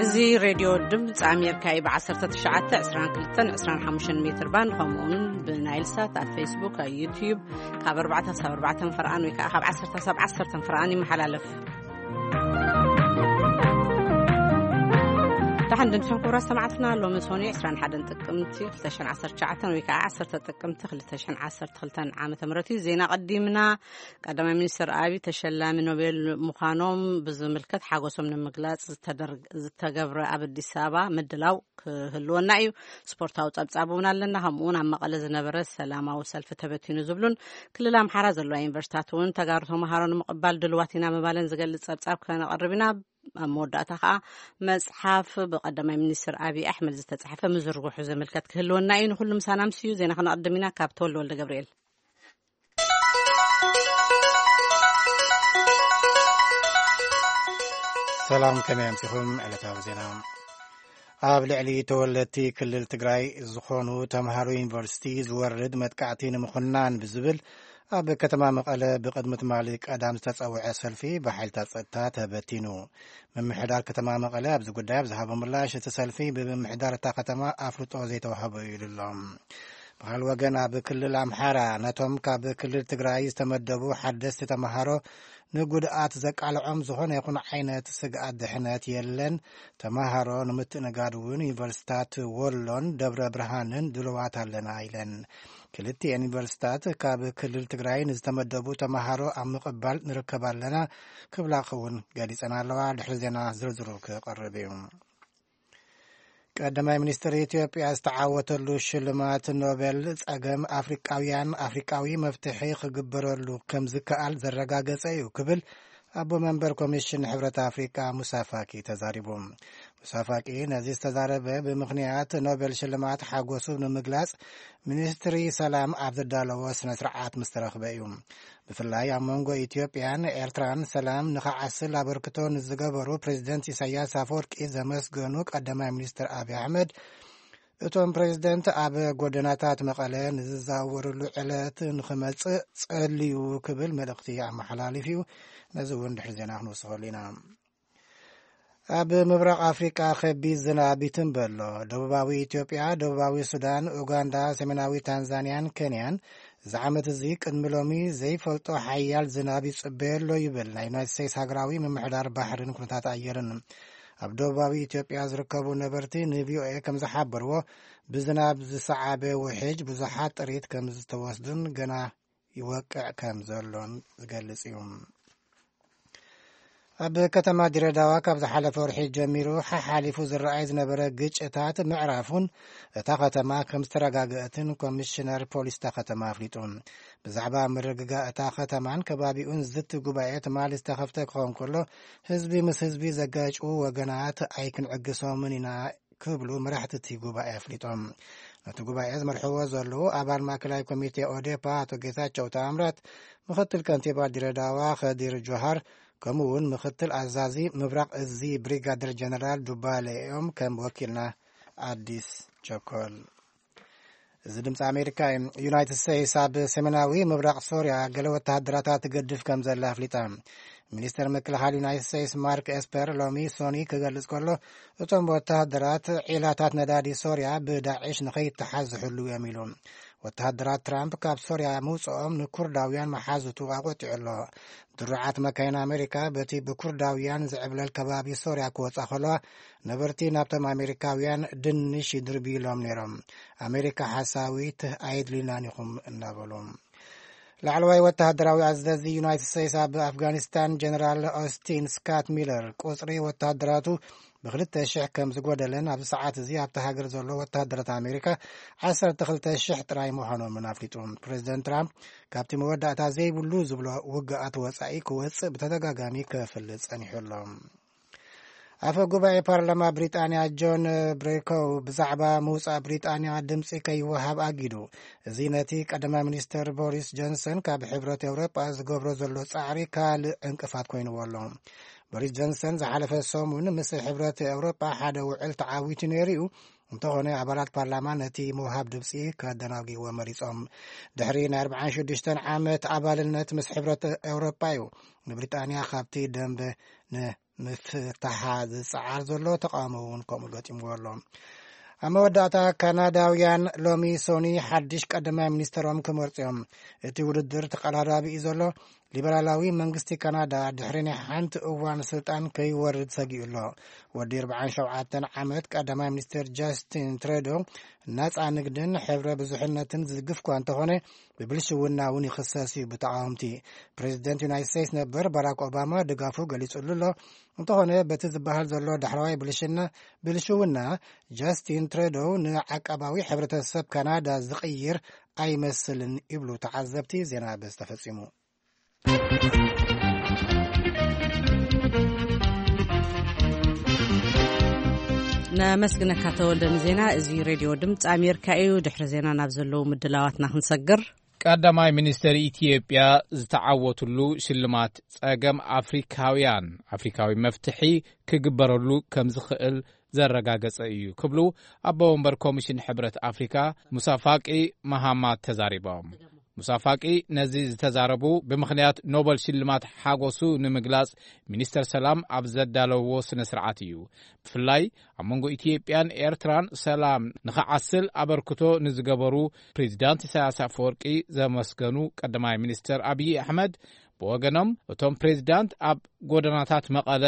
እዚ ሬድዮ ድምፂ ኣሜሪካ እዩ። ብ1922-25 ሜትር ባንድ፣ ከምኡውን ብናይል ሳት ኣብ ፌስቡክ፣ ኣብ ዩትዩብ ካብ ኣርባዕተ ክሳብ ኣርባዕተ ፈርቓን ወይ ከዓ ካብ ዓሰርተ ክሳብ ዓሰርተ ፈርቓን ይመሓላለፍ። ደሓን ድንሕን ክቡራት ሰማዕትና፣ ሎሚ ሶኒ 21 ጥቅምቲ 2019 ወይ ከዓ 10 ጥቅምቲ 2012 ዓመተ ምህረት እዩ። ዜና ቀዲምና። ቀዳማይ ሚኒስትር ኣብይ ተሸላሚ ኖቤል ምዃኖም ብዝምልከት ሓጎሶም ንምግላጽ ዝተደር- ዝተገብረ ኣብ ኣዲስ ኣበባ ምድላው ክህልወና እዩ። ስፖርታዊ ጸብጻብ እውን ኣለና። ከምኡ እውን ኣብ መቐለ ዝነበረ ሰላማዊ ሰልፊ ተበቲኑ ዝብሉን ክልል ኣምሓራ ዘለዋ ዩኒቨርሲታት እውን ተጋሩ ተምሃሮ ንምቕባል ድልዋት ኢና ምባለን ዝገልጽ ጸብጻብ ከነቐርብ ኢና። ኣብ መወዳእታ ከዓ መጽሓፍ ብቀዳማይ ሚኒስትር ኣብይ ኣሕመድ ዝተጻሕፈ ምዝርግሑ ዝምልከት ክህልወና እዩ። ንኩሉ ምሳና ምስዩ ዜና ክነቐድም ኢና። ካብ ተወልደ ወልደ ገብርኤል። ሰላም፣ ከመይ ኣምሲኹም? ዕለታዊ ዜና። ኣብ ልዕሊ ተወለድቲ ክልል ትግራይ ዝኾኑ ተምሃሮ ዩኒቨርሲቲ ዝወርድ መጥቃዕቲ ንምኹናን ብዝብል ኣብ ከተማ መቐለ ብቕድሚ ትማሊ ቀዳም ዝተጸውዐ ሰልፊ ብሓይልታት ጸጥታ ተበቲኑ። ምምሕዳር ከተማ መቐለ ኣብዚ ጉዳይ ኣብ ዝሃቦ ምላሽ፣ እቲ ሰልፊ ብምምሕዳር እታ ከተማ ኣፍልጦ ዘይተዋህቦ እዩ ኢሉ ኣሎ። ብኻል ወገን ኣብ ክልል ኣምሓራ ነቶም ካብ ክልል ትግራይ ዝተመደቡ ሓደስቲ ተምሃሮ ንጉድኣት ዘቃልዖም ዝኾነ ይኹን ዓይነት ስግኣት ድሕነት የለን። ተምሃሮ ንምትእንጋድ እውን ዩኒቨርሲታት ወሎን ደብረ ብርሃንን ድልዋት ኣለና ኢለን። ክልቲኤን ዩኒቨርሲታት ካብ ክልል ትግራይ ንዝተመደቡ ተምሃሮ ኣብ ምቕባል ንርከብ ኣለና ክብላ እውን ገሊጸን ኣለዋ። ድሕሪ ዜና ዝርዝሩ ክቐርብ እዩ። ቀዳማይ ሚኒስትር ኢትዮጵያ ዝተዓወተሉ ሽልማት ኖቤል ጸገም ኣፍሪቃውያን ኣፍሪቃዊ መፍትሒ ክግበረሉ ከም ዝከኣል ዘረጋገጸ እዩ ክብል ኣቦ መንበር ኮሚሽን ሕብረት ኣፍሪቃ ሙሳ ፋኪ ተዛሪቡ። ሙሳ ፋቂ ነዚ ዝተዛረበ ብምኽንያት ኖቤል ሽልማት ሓጎሱ ንምግላጽ ሚኒስትሪ ሰላም ኣብ ዘዳለዎ ስነ ስርዓት ምስ ተረኽበ እዩ። ብፍላይ ኣብ መንጎ ኢትዮጵያን ኤርትራን ሰላም ንኸዓስል ኣበርክቶ ንዝገበሩ ፕሬዚደንት ኢሳያስ ኣፈወርቂ ዘመስገኑ ቀዳማይ ሚኒስትር ኣብይ ኣሕመድ፣ እቶም ፕሬዚደንት ኣብ ጎደናታት መቐለ ንዝዘዋወርሉ ዕለት ንኽመጽእ ጸልዩ ክብል መልእኽቲ ኣመሓላሊፉ እዩ። ነዚ እውን ድሕሪ ዜና ክንወስኸሉ ኢና። ኣብ ምብራቕ ኣፍሪቃ ከቢድ ዝናብ ይትንበ ኣሎ። ደቡባዊ ኢትዮጵያ፣ ደቡባዊ ሱዳን፣ ኡጋንዳ፣ ሰሜናዊ ታንዛንያን ኬንያን እዚ ዓመት እዚ ቅድሚ ሎሚ ዘይፈልጦ ሓያል ዝናብ ይጽበዮ ኣሎ ይብል ናይ ዩናይትድ ስቴትስ ሃገራዊ ምምሕዳር ባሕርን ኩነታት ኣየርን። ኣብ ደቡባዊ ኢትዮጵያ ዝርከቡ ነበርቲ ንቪኦኤ ከም ዝሓበርዎ፣ ብዝናብ ዝሰዓበ ውሕጅ ብዙሓት ጥሪት ከም ዝተወስዱን ገና ይወቅዕ ከም ዘሎን ዝገልጽ እዩ። ኣብ ከተማ ድሬዳዋ ካብ ዝሓለፈ ወርሒ ጀሚሩ ሓሓሊፉ ዝረኣይ ዝነበረ ግጭታት ምዕራፉን እታ ከተማ ከም ዝተረጋገአትን ኮሚሽነር ፖሊስ እታ ከተማ ኣፍሊጡ። ብዛዕባ ምርግጋእ እታ ከተማን ከባቢኡን ዝዝቲ ጉባኤ ትማሊ ዝተኸፍተ ክኸውን ከሎ፣ ህዝቢ ምስ ህዝቢ ዘጋጭዉ ወገናት ኣይክንዕግሶምን ኢና ክብሉ መራሕቲ እቲ ጉባኤ ኣፍሊጦም። ነቲ ጉባኤ ዝመርሕዎ ዘለዉ ኣባል ማእከላይ ኮሚቴ ኦዴፓ ኣቶ ጌታቸው ተኣምራት፣ ምኽትል ከንቲባ ድሬዳዋ ከዲር ጆሃር፣ ከምኡ እውን ምኽትል ኣዛዚ ምብራቕ እዚ ብሪጋደር ጀነራል ዱባለ እዮም ከም ወኪልና ኣዲስ ቸኮል። እዚ ድምፂ ኣሜሪካ እዩ። ዩናይትድ ስቴትስ ኣብ ሰሜናዊ ምብራቕ ሶርያ ገለ ወተሃደራታ ትገድፍ ከም ዘላ ኣፍሊጣ። ሚኒስተር ምክልኻል ዩናይትድ ስቴትስ ማርክ ኤስፐር ሎሚ ሶኒ ክገልጽ ከሎ፣ እቶም ወተሃደራት ዒላታት ነዳዲ ሶርያ ብዳዕሽ ንኸይተሓዝ ዝሕልዉ እዮም ኢሉ። ወተሃደራት ትራምፕ ካብ ሶርያ ምውጽኦም ንኩርዳውያን መሓዙቱ ኣቖጢዑ ኣሎ። ድሩዓት መካይን ኣሜሪካ በቲ ብኩርዳውያን ዝዕብለል ከባቢ ሶርያ ክወጻ ከለዋ፣ ነበርቲ ናብቶም ኣሜሪካውያን ድንሽ ይድርብዩሎም ነይሮም። ኣሜሪካ ሓሳዊት ኣየድልዩናን ኢኹም እናበሉ። ላዕለዋይ ወተሃደራዊ ኣዘዚ ዩናይትድ ስቴትስ ኣብ ኣፍጋኒስታን ጀነራል ኦስቲን ስካት ሚለር ቁጽሪ ወተሃደራቱ ብ2,000 ከም ዝጎደለን ኣብዚ ሰዓት እዚ ኣብቲ ሃገር ዘሎ ወተሃደራት ኣሜሪካ 12,000 ጥራይ ምዃኖምን ኣፍሊጡ። ፕሬዚደንት ትራምፕ ካብቲ መወዳእታ ዘይብሉ ዝብሎ ውግኣት ወጻኢ ክወጽእ ብተደጋጋሚ ክፍልጥ ጸኒሑ ኣሎ። ኣፈ ጉባኤ ፓርላማ ብሪጣንያ ጆን ብሬኮው ብዛዕባ ምውጻእ ብሪጣንያ ድምጺ ከይወሃብ ኣጊዱ። እዚ ነቲ ቀዳማይ ሚኒስተር ቦሪስ ጆንሰን ካብ ሕብረት ኤውሮጳ ዝገብሮ ዘሎ ጻዕሪ ካልእ ዕንቅፋት ኮይንዎ ኣሎ። ቦሪስ ጆንሰን ዝሓለፈ ሰሙን ምስ ሕብረት ኤውሮጳ ሓደ ውዕል ተዓዊቱ ነይሩ እዩ። እንተኾነ ኣባላት ፓርላማ ነቲ ምውሃብ ድምጺ ከደናጊዎ መሪጾም። ድሕሪ ናይ ኣርባዓን ሽዱሽተን ዓመት ኣባልነት ምስ ሕብረት ኤውሮጳ እዩ ንብሪጣንያ ካብቲ ደንበ ን ምፍታሓ ዝጸዓር ዘሎ ተቃውሞ እውን ከምኡ ገጢምዎ ኣሎ። ኣብ መወዳእታ፣ ካናዳውያን ሎሚ ሶኒ ሓድሽ ቀዳማይ ሚኒስተሮም ክመርጹ እዮም። እቲ ውድድር ተቐራራቢ እዩ ዘሎ። ሊበራላዊ መንግስቲ ካናዳ ድሕሪ ናይ ሓንቲ እዋን ስልጣን ከይወርድ ሰጊኡ ኣሎ። ወዲ ኣርባዓን ሸውዓተን ዓመት ቀዳማይ ሚኒስተር ጃስቲን ትሬዶ፣ ናጻ ንግድን ሕብረ ብዙሕነትን ዝድግፍ እኳ እንተኾነ፣ ብብልሽውና እውን ይኽሰስ እዩ ብተቃወምቲ። ፕሬዚደንት ዩናይትድ ስቴትስ ነበር ባራክ ኦባማ ድጋፉ ገሊጹሉ ኣሎ። እንተኾነ፣ በቲ ዝበሃል ዘሎ ዳሕረዋይ ብልሽና ብልሽውና፣ ጃስቲን ትሬዶ ንዓቃባዊ ሕብረተሰብ ካናዳ ዝቕይር ኣይመስልን ይብሉ ተዓዘብቲ። ዜና በዚ ተፈጺሙ። ነመስግነካ ተወልደ ንዜና። እዚ ሬድዮ ድምፂ ኣሜሪካ እዩ። ድሕሪ ዜና ናብ ዘለዉ ምድላዋትና ክንሰግር። ቀዳማይ ሚኒስተር ኢትዮጵያ ዝተዓወትሉ ሽልማት ጸገም ኣፍሪካውያን ኣፍሪካዊ መፍትሒ ክግበረሉ ከም ዝኽእል ዘረጋገጸ እዩ ክብሉ ኣቦ ወንበር ኮሚሽን ሕብረት ኣፍሪካ ሙሳ ፋቂ መሃማት ተዛሪቦም። ሙሳ ፋቂ ነዚ ዝተዛረቡ ብምኽንያት ኖበል ሽልማት ሓጎሱ ንምግላጽ ሚኒስተር ሰላም ኣብ ዘዳለዎ ስነ ስርዓት እዩ። ብፍላይ ኣብ መንጎ ኢትዮጵያን ኤርትራን ሰላም ንኽዓስል ኣበርክቶ ንዝገበሩ ፕሬዚዳንት ኢሳያስ ኣፈወርቂ ዘመስገኑ ቀዳማይ ሚኒስተር ኣብይ ኣሕመድ፣ ብወገኖም እቶም ፕሬዚዳንት ኣብ ጎደናታት መቐለ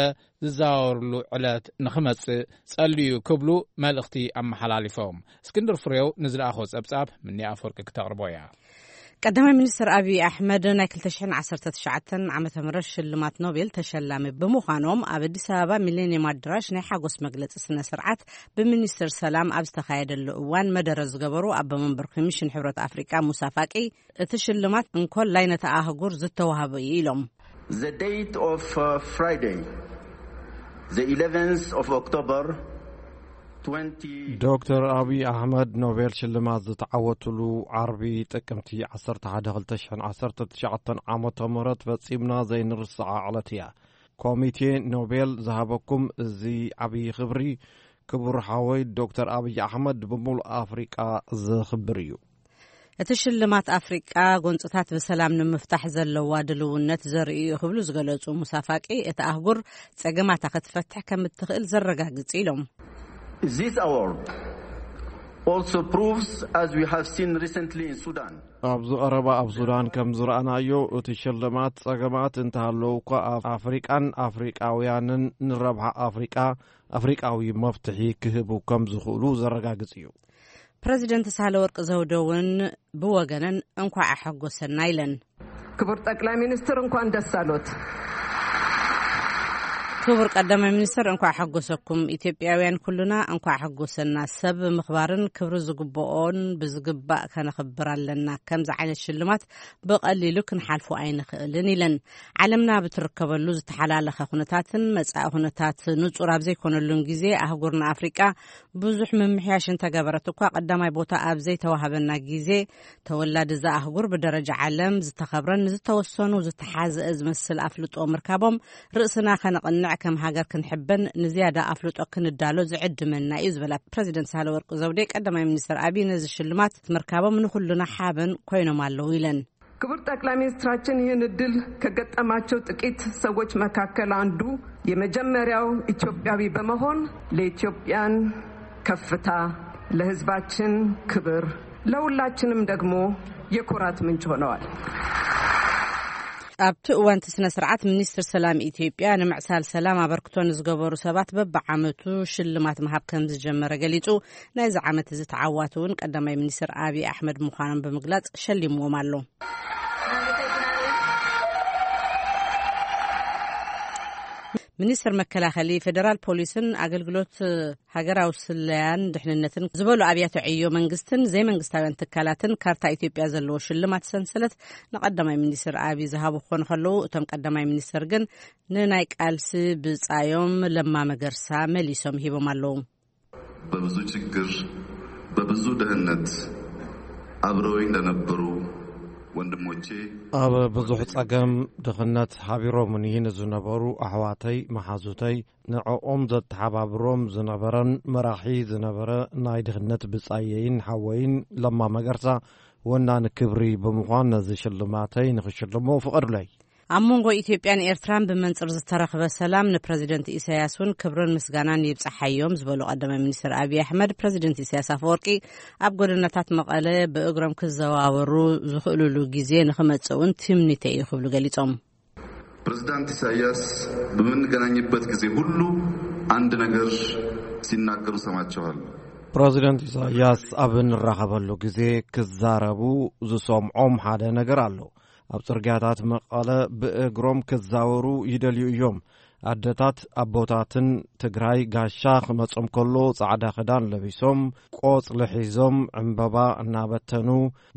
ዝዘዋወርሉ ዕለት ንኽመጽእ ጸልዩ ክብሉ መልእኽቲ ኣመሓላሊፎም። እስክንድር ፍሬው ንዝለኣኾ ጸብጻብ ምኒ ኣፈወርቂ ክተቕርቦ እያ። ቀዳማይ ሚኒስትር ኣብይ ኣሕመድ ናይ ክልተ ሽሕን ዓሰርተ ትሽዓተን ዓመተ ምህረት ሽልማት ኖቤል ተሸላሚ ብምዃኖም፣ ኣብ ኣዲስ ኣበባ ሚሌኒየም ኣዳራሽ ናይ ሓጎስ መግለጺ ስነ ስርዓት ብሚኒስትር ሰላም ኣብ ዝተኻየደሉ እዋን መደረ ዝገበሩ ኣቦ መንበር ኮሚሽን ሕብረት ኣፍሪቃ ሙሳ ፋቂ፣ እቲ ሽልማት እንኮላይ ነታ ኣህጉር ዝተዋህበ እዩ ኢሎም። The date of uh, Friday, the eleventh of October, twenty. ዶክተር ኣብይ ኣሕመድ ኖቤል ሽልማት ዝተዓወትሉ ዓርቢ ጥቅምቲ ዓሰርተ ሓደ ክልተ ሽሕን ዓሰርተ ትሽዓተን ዓመተ ምህረት ፈጺምና ዘይንርስዓ ዕለት እያ። ኮሚቴ ኖቤል ዝሃበኩም እዚ ዓብዪ ክብሪ፣ ክቡር ሓወይ ዶክተር ኣብይ ኣሕመድ፣ ብምሉእ ኣፍሪቃ ዝኽብር እዩ። እቲ ሽልማት ኣፍሪቃ ጎንፅታት ብሰላም ንምፍታሕ ዘለዋ ድልውነት ዘርኢ እዩ ክብሉ ዝገለፁ ሙሳ ፋቂ፣ እቲ ኣህጉር ጸገማታ ክትፈትሕ ከም እትኽእል ዘረጋግጽ ኢሎም። This award also proves, as we have seen recently in Sudan, ኣብዚ ቀረባ ኣብ ሱዳን ከም ዝረኣናዮ፣ እቲ ሽልማት ጸገማት እንተሃለዉ እኳ ኣብ ኣፍሪቃን ኣፍሪቃውያንን ንረብሓ ኣፍሪቃ ኣፍሪቃዊ መፍትሒ ክህቡ ከም ዝኽእሉ ዘረጋግጽ እዩ። ፕረዚደንት ሳህለወርቅ ዘውደ እውን ብወገነን እንኳዕ ኣሐጎሰና ኢለን። ክቡር ጠቅላይ ሚኒስትር፣ እንኳን ደስ ኣሎት። ክቡር ቀዳማይ ሚኒስትር፣ እንኳዕ ሓጎሰኩም። ኢትዮጵያውያን ኩሉና እንኳዕ ሓጎሰና። ሰብ ምኽባርን ክብሪ ዝግብኦን ብዝግባእ ከነኽብር ኣለና። ከምዚ ዓይነት ሽልማት ብቐሊሉ ክንሓልፎ ኣይንኽእልን ኢለን። ዓለምና ብትርከበሉ ዝተሓላለኸ ኩነታትን መጻኢ ኩነታት ንጹር ኣብ ዘይኮነሉን ግዜ፣ ኣህጉርና ኣፍሪቃ ብዙሕ ምምሕያሽ እንተገበረት እኳ፣ ቀዳማይ ቦታ ኣብ ዘይተዋህበና ግዜ፣ ተወላዲ እዛ ኣህጉር ብደረጃ ዓለም ዝተኸብረን ንዝተወሰኑ ዝተሓዝአ ዝመስል ኣፍልጦ ምርካቦም፣ ርእስና ከነቕንዕ፣ ከም ሃገር ክንሕበን፣ ንዝያዳ ኣፍልጦ ክንዳሎ ዝዕድመና እዩ ዝበላ ፕረዚደንት ሳህለወርቅ ዘውዴ፣ ቀዳማይ ሚኒስትር ኣብይ ነዚ ሽልማት ምርካቦም ንኹልና ሓበን ኮይኖም ኣለዉ ኢለን። ክቡር ጠቅላይ ሚኒስትራችን ይህን እድል ከገጠማቸው ጥቂት ሰዎች መካከል አንዱ፣ የመጀመሪያው ኢትዮጵያዊ በመሆን ለኢትዮጵያን ከፍታ፣ ለህዝባችን ክብር፣ ለሁላችንም ደግሞ የኩራት ምንጭ ሆነዋል። ኣብቲ እዋን እቲ ስነ ስርዓት፣ ሚኒስትር ሰላም ኢትዮጵያ ንምዕሳል ሰላም ኣበርክቶ ንዝገበሩ ሰባት በብዓመቱ ሽልማት ምሃብ ከም ዝጀመረ ገሊጹ። ናይዚ ዓመት እዚ ተዓዋቲ እውን ቀዳማይ ሚኒስትር ኣብይ ኣሕመድ ምዃኖም ብምግላጽ ሸሊምዎም ኣሎ። ሚኒስትር መከላኸሊ፣ ፌደራል ፖሊስን ኣገልግሎት ሃገራዊ ስለያን ድሕንነትን ዝበሉ ኣብያተ ዕዮ መንግስትን ዘይመንግስታውያን ትካላትን ካርታ ኢትዮጵያ ዘለዎ ሽልማት ሰንሰለት ንቀዳማይ ሚኒስትር ኣብይ ዝሃቡ ክኾኑ ከለዉ፣ እቶም ቀዳማይ ሚኒስትር ግን ንናይ ቃልሲ ብጻዮም ለማ መገርሳ መሊሶም ሂቦም ኣለዉ። በብዙ ችግር፣ በብዙ ድህነት አብረውኝ ለነበሩ ወንድሞቼ፣ ኣብ ብዙሕ ጸገም ድኽነት ሓቢሮምኒ ንዝነበሩ ኣሕዋተይ፣ መሓዙተይ፣ ንዕኦም ዘተሓባብሮም ዝነበረን መራሒ ዝነበረ ናይ ድኽነት ብጻየይን ሓወይን ለማ መገርሳ ወናኒ ክብሪ ብምዃን፣ ነዚ ሽልማተይ ንኽሽልሞ ፍቐዱለይ። ኣብ መንጎ ኢትዮጵያን ኤርትራን ብመንጽር ዝተረኽበ ሰላም ንፕረዚደንት ኢሳያስ እውን ክብርን ምስጋናን ይብጻሓዮም ዝበሉ ቀዳማይ ሚኒስትር ኣብይ ኣሕመድ፣ ፕረዚደንት ኢሳያስ ኣፈወርቂ ኣብ ጎደናታት መቐለ ብእግሮም ክዘዋወሩ ዝኽእሉሉ ግዜ ንኽመጽእ እውን ትምኒተይ እዩ ክብሉ ገሊጾም። ፕሬዝዳንት ኢሳያስ በምንገናኝበት ጊዜ ሁሉ አንድ ነገር ሲናገሩ ሰማቸዋል። ፕረዚደንት ኢሳያስ ኣብ እንራኸበሉ ግዜ ክዛረቡ ዝሰምዖም ሓደ ነገር ኣሎ። ኣብ ጽርግያታት መቐለ ብእግሮም ክዛወሩ ይደልዩ እዮም። ኣደታት ኣቦታትን ትግራይ ጋሻ ክመጾም ከሎ ጻዕዳ ክዳን ለቢሶም ቆጽሊ ሒዞም ዕምበባ እናበተኑ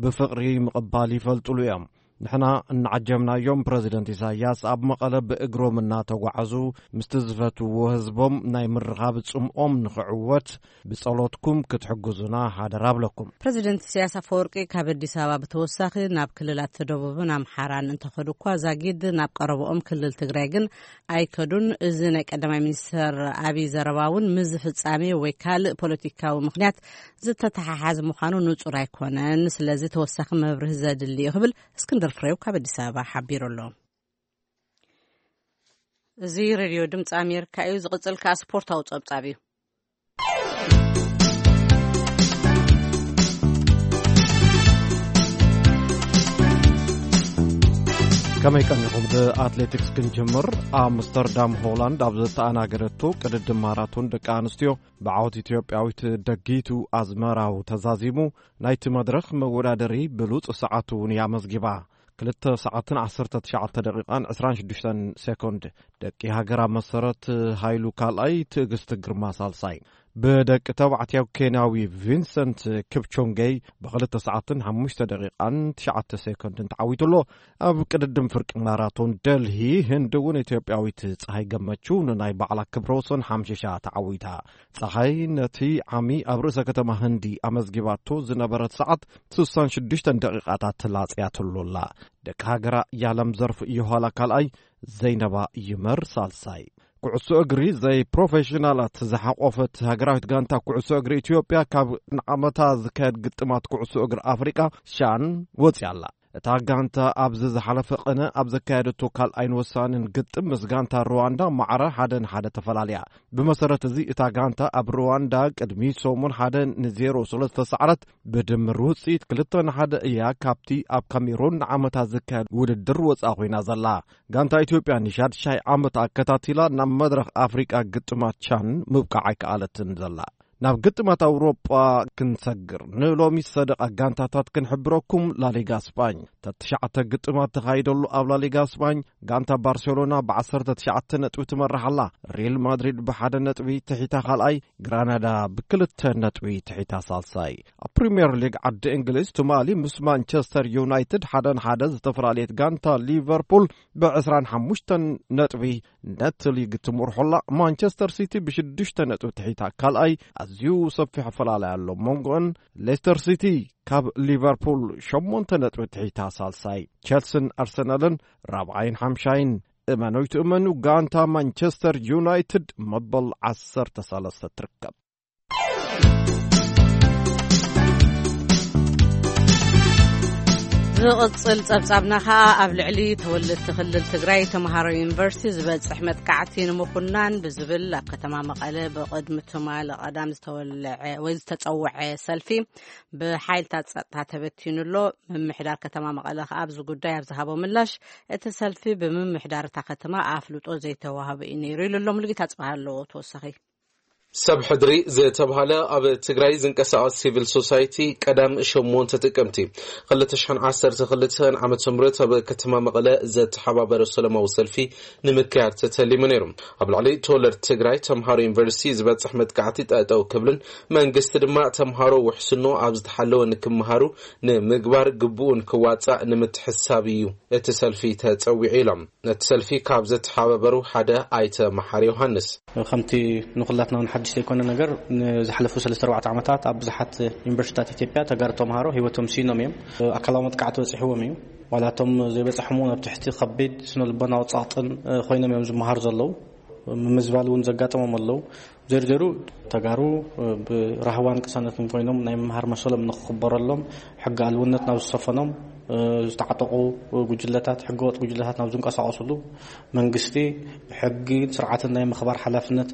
ብፍቕሪ ምቕባል ይፈልጥሉ እዮም። ንሕና እናዓጀብናዮም ፕረዚደንት ኢሳያስ ኣብ መቐለ ብእግሮም እናተጓዓዙ ምስቲ ዝፈትውዎ ህዝቦም ናይ ምርኻብ ጽምኦም ንኽዕወት ብጸሎትኩም ክትሕግዙና ሓደራ ኣብለኩም። ፕረዚደንት ኢሳያስ ኣፈወርቂ ካብ ኣዲስ ኣበባ ብተወሳኺ ናብ ክልላት ደቡብን ኣምሓራን እንተኸዱ እኳ ዛጊድ ናብ ቀረብኦም ክልል ትግራይ ግን ኣይከዱን። እዚ ናይ ቀዳማይ ሚኒስትር ኣብይ ዘረባ እውን ምስ ፍጻሜ ወይ ካልእ ፖለቲካዊ ምኽንያት ዝተተሓሓዘ ምዃኑ ንጹር ኣይኮነን። ስለዚ ተወሳኺ መብርሂ ዘድሊ እዩ ክብል እስክንድር ፍሬው ካብ ኣዲስ ኣበባ ሓቢሩ ኣሎ። እዚ ሬድዮ ድምፂ ኣሜሪካ እዩ። ዝቕፅል ከኣ ስፖርታዊ ፀብፃብ እዩ። ከመይ ቀኒኹም? ብኣትሌቲክስ ክንጅምር። ኣምስተርዳም ሆላንድ ኣብ ዝተኣናገደቶ ቅድድም ማራቶን ደቂ ኣንስትዮ ብዓወት ኢትዮጵያዊት ደጊቱ ኣዝመራው ተዛዚሙ ናይቲ መድረኽ መወዳደሪ ብሉጽ ሰዓት እውን እያ ኣመዝጊባ። ክልተ ሰዓትን ዓሰርተ ትሽዓተ ደቂቓን ዕስራን ሽዱሽተን ሴኮንድ። ደቂ ሃገራ መሰረት ሃይሉ ካልኣይ፣ ትዕግስቲ ግርማ ሳልሳይ። ብደቂ ተባዕትዮ ኬንያዊ ቪንሰንት ክፕቾንጌይ ብኽልተ ሰዓትን ሓሙሽተ ደቂቓን ትሽዓተ ሴኮንድን ተዓዊቱ ኣሎ። ኣብ ቅድድም ፍርቂ ማራቶን ደልሂ ህንዲ እውን ኢትዮጵያዊት ፀሃይ ገመቹ ንናይ ባዕላ ክብረ ወሰን ሓምሽሻ ተዓዊታ። ፀሃይ ነቲ ዓሚ ኣብ ርእሰ ከተማ ህንዲ ኣመዝጊባቶ ዝነበረት ሰዓት ስሳን ሽዱሽተን ደቂቓታት ተላፅያትሉ ኣላ። ደቂ ሃገራ ያለም ዘርፍ የኋላ ካልኣይ፣ ዘይነባ ይመር ሳልሳይ። ኩዕሶ እግሪ ዘይፕሮፌሽናላት ዝሓቆፈት ሃገራዊት ጋንታ ኩዕሶ እግሪ ኢትዮጵያ ካብ ንዓመታ ዝካየድ ግጥማት ኩዕሶ እግሪ ኣፍሪቃ ሻን ወፅያ ኣላ። እታ ጋንታ ኣብዚ ዝሓለፈ ቅነ ኣብ ዘካየደቶ ካልኣይን ወሳንን ግጥም ምስ ጋንታ ሩዋንዳ ማዕረ ሓደ ንሓደ ተፈላለያ። ብመሰረት እዚ እታ ጋንታ ኣብ ሩዋንዳ ቅድሚ ሰሙን ሓደ ንዜሮ ስለ ዝተሳዕረት ብድምር ውፅኢት ክልተ ንሓደ እያ ካብቲ ኣብ ካሜሮን ንዓመታት ዝካየድ ውድድር ወፃ ኮይና ዘላ። ጋንታ ኢትዮጵያ ንሻድሻይ ዓመት ኣከታቲላ ናብ መድረኽ ኣፍሪቃ ግጥማት ቻን ምብቃዕ ኣይከኣለትን ዘላ። ናብ ግጥማት ኣውሮጳ ክንሰግር ንሎሚ ሰደቓ ጋንታታት ክንሕብረኩም። ላሊጋ ስጳኝ ተትሽዓተ ግጥማት ተኻይደሉ ኣብ ላሊጋ ስጳኝ ጋንታ ባርሴሎና ብ19 ነጥቢ ትመርሕ ኣላ። ሪል ማድሪድ ብሓደ ነጥቢ ትሒታ ካልኣይ፣ ግራናዳ ብክልተ ነጥቢ ትሒታ ሳልሳይ። ኣብ ፕሪምየር ሊግ ዓዲ እንግሊዝ ትማሊ ምስ ማንቸስተር ዩናይትድ ሓደ ንሓደ ዝተፈላለየት ጋንታ ሊቨርፑል ብ25 ነጥቢ ነቲ ሊግ ትምርሖላ። ማንቸስተር ሲቲ ብሽዱሽተ ነጥቢ ትሒታ ካልኣይ። ኣዝዩ ሰፊሕ ኣፈላለይ ኣሎ መንጎን። ሌስተር ሲቲ ካብ ሊቨርፑል ሸሞንተ ነጥቢ ትሒታ ሳልሳይ። ቸልስን ኣርሰናልን ራብዓይን ሓምሻይን። እመኑ ይትእመኑ ጋንታ ማንቸስተር ዩናይትድ መበል ዓሰርተ ሰለስተ ትርከብ። ዝቕጽል ጸብጻብና ከኣ ኣብ ልዕሊ ተወለድቲ ክልል ትግራይ ተምሃሮ ዩኒቨርሲቲ ዝበጽሕ መጥቃዕቲ ንምኹናን ብዝብል ኣብ ከተማ መቐለ ብቕድሚ ትማሊ ቀዳም ዝተወልዐ ወይ ዝተጸውዐ ሰልፊ ብሓይልታት ጸጥታ ተበቲኑ ኣሎ። ምምሕዳር ከተማ መቐለ ከኣ ኣብዚ ጉዳይ ኣብ ዝሃቦ ምላሽ እቲ ሰልፊ ብምምሕዳር እታ ከተማ ኣፍልጦ ዘይተዋህቦ እዩ ነይሩ ኢሉ ኣሎ። ሙሉጌታ ጽባህ ኣለዎ ተወሳኺ። ሰብ ሕድሪ ዝተብሃለ ኣብ ትግራይ ዝንቀሳቐስ ሲቪል ሶሳይቲ ቀዳም ሸሞንተ ጥቅምቲ ክልተ ሽሕን ዓሰርተ ክልተን ዓመተ ምህረት ኣብ ከተማ መቐለ ዘተሓባበረ ሰላማዊ ሰልፊ ንምክያድ ተተሊሙ ነይሩ። ኣብ ልዕሊ ተወለድቲ ትግራይ ተምሃሮ ዩኒቨርሲቲ ዝበፅሕ መጥቃዕቲ ጠጠው ክብልን መንግስቲ ድማ ተምሃሮ ውሕስኖ ኣብ ዝተሓለወ ንክምሃሩ ንምግባር ግቡኡ ንክዋፃእ ንምትሕሳብ እዩ እቲ ሰልፊ ተፀዊዑ ኢሎም ነቲ ሰልፊ ካብ ዘተሓባበሩ ሓደ ኣይተ መሓሪ ዮሃንስ። ከምቲ ንኹላትና እውን ሓድሽ ዘይኮነ ነገር ንዝሓለፉ ሰለስተ ኣርባዕተ ዓመታት ኣብ ብዙሓት ዩኒቨርሲቲታት ኢትዮጵያ ተጋሩ ተምሃሮ ህይወቶም ስኢኖም እዮም። ኣካላዊ መጥቃዕቲ በፂሕዎም እዩ። ዋላ እቶም ዘይበፅሖም እውን ኣብ ትሕቲ ከቢድ ስነ ልቦናዊ ፀቕጥን ኮይኖም እዮም ዝመሃሩ ዘለዉ። ምምዝባል እውን ዘጋጠሞም ኣለዉ። ዜሩ ዜሩ ተጋሩ ብራህዋን ቅሳነትን ኮይኖም ናይ ምምሃር መሰሎም ንክኽበረሎም ሕጊ ኣልውነት ናብ ዝሰፈኖም ዝተዓጠቑ ጉጅለታት፣ ሕገወጥ ጉጅለታት ናብ ዝንቀሳቐሱሉ መንግስቲ ሕግን ስርዓትን ናይ ምኽባር ሓላፍነት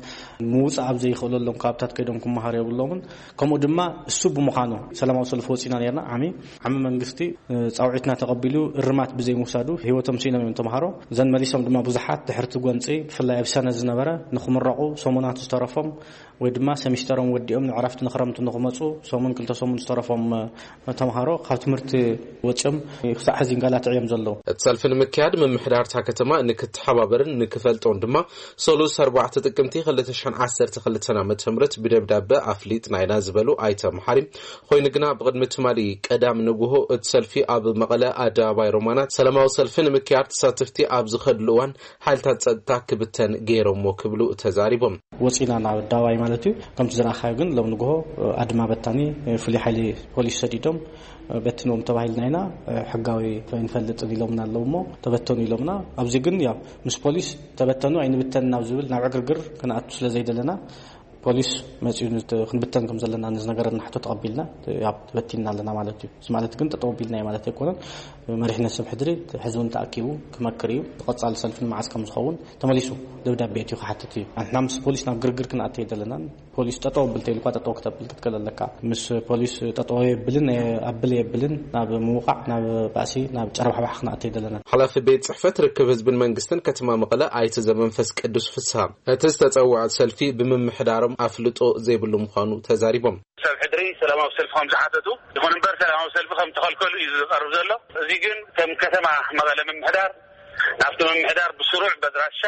ምውፃእ ኣብ ዘይኽእለሎም ከባብታት ከይዶም ክመሃሩ የብሎምን። ከምኡ ድማ እሱ ብምዃኑ ሰላማዊ ሰልፊ ወፂና ነርና። ዓሚ ዓሚ መንግስቲ ፃውዒትና ተቐቢሉ እርማት ብዘይምውሳዱ ህይወቶም ስኢኖም እዮም ተምሃሮ። ዘን መሊሶም ድማ ብዙሓት ድሕርቲ ጎንፂ ብፍላይ ኣብ ሰነ ዝነበረ ንክምረቑ ሰሙናት ዝተረፎም ወይ ድማ ሰሚስተሮም ወዲኦም ንዕረፍቲ ንክረምቲ ንክመፁ ሰሙን ክልተ ሰሙን ዝተረፎም ተምሃሮ ካብ ትምህርቲ ወፂኦም ክሳዕ ሕዚ ይንጋላትዑ እዮም ዘለዉ። እቲ ሰልፊ ንምክያድ ምምሕዳርታ ከተማ ንክተሓባበርን ንክፈልጦን ድማ ሰሉስ ኣርባዕተ ጥቅምቲ ክልተ ሽሕን ዓሰርተ ክልተን ዓመተ ምህረት ብደብዳበ ኣፍሊጥና ኢና ዝበሉ ኣይተ መሓሪ፣ ኮይኑ ግና ብቕድሚ ትማሊ ቀዳም ንግሆ እቲ ሰልፊ ኣብ መቐለ ኣደባባይ ሮማናት ሰላማዊ ሰልፊ ንምክያድ ተሳተፍቲ ኣብ ዝኸድሉ እዋን ሓይልታት ጸጥታ ክብተን ገይሮሞ ክብሉ ተዛሪቦም። ወፂና ናብ ኣደባባይ ማለት እዩ። ከምቲ ዝረኣኻዮ ግን ሎም ንግሆ ኣድማ በታኒ ፍሉይ ሓይሊ ፖሊስ ሰዲዶም በትንዎም ተባሂልና ኢና። ሕጋዊ ኣይንፈልጥን ኢሎምና ኣለዉ እሞ ተበተኑ ኢሎምና። ኣብዚ ግን ያው ምስ ፖሊስ ተበተኑ ኣይንብተን ናብ ዝብል ናብ ዕግርግር ክንኣቱ ስለ ዘይደለና ፖሊስ መፂኡ ን-፣ ክንብተን ከም ዘለና ንዝነገረና ሕቶ ተቐቢልና ያው ተበቲንና ኣለና ማለት እዩ። እዚ ማለት ግን ጠጠው ኣቢልናዮ ማለት ኣይኮነን። መሪሕነት ሰብ ሕድሪ ሕዚ እውን ተኣኪቡ ክመክር እዩ። ቀጻሊ ሰልፊ ንመዓስ ከም ዝኸውን ተመሊሱ ደብዳቤ እትዩ ክሓትት እዩ። ንሕና ምስ ፖሊስ ናብ ግርግር ክንኣተ ኣይደለናን። ፖሊስ ጠጠው ብል ተይልኳ ጠጠው ክተብል ክትክእል ኣለካ። ምስ ፖሊስ ጠጠው የብልን ኣብል የብልን ናብ ምውቃዕ ናብ ባእሲ ናብ ጨረባሕባሕ ክንኣተ ኣይደለናን። ሓላፊ ቤት ጽሕፈት ርክብ ህዝብን መንግስትን ከተማ መቐለ ኣይተ ዘመንፈስ ቅዱስ ፍስሃ እቲ ዝተጸውዐ ሰልፊ ብምምሕዳሮም ኣፍልጦ ዘይብሉ ምዃኑ ተዛሪቦም። ሰብ ሕድሪ ሰላማዊ ሰልፊ ከም ዝሓተቱ ይኹን እምበር ሰላማዊ ሰልፊ ከም ተኸልከሉ እዩ ዝቐርብ ዘሎ። እዚ ግን ከም ከተማ መቐለ ምምሕዳር ናብቲ ምምሕዳር ብስሩዕ በድራሻ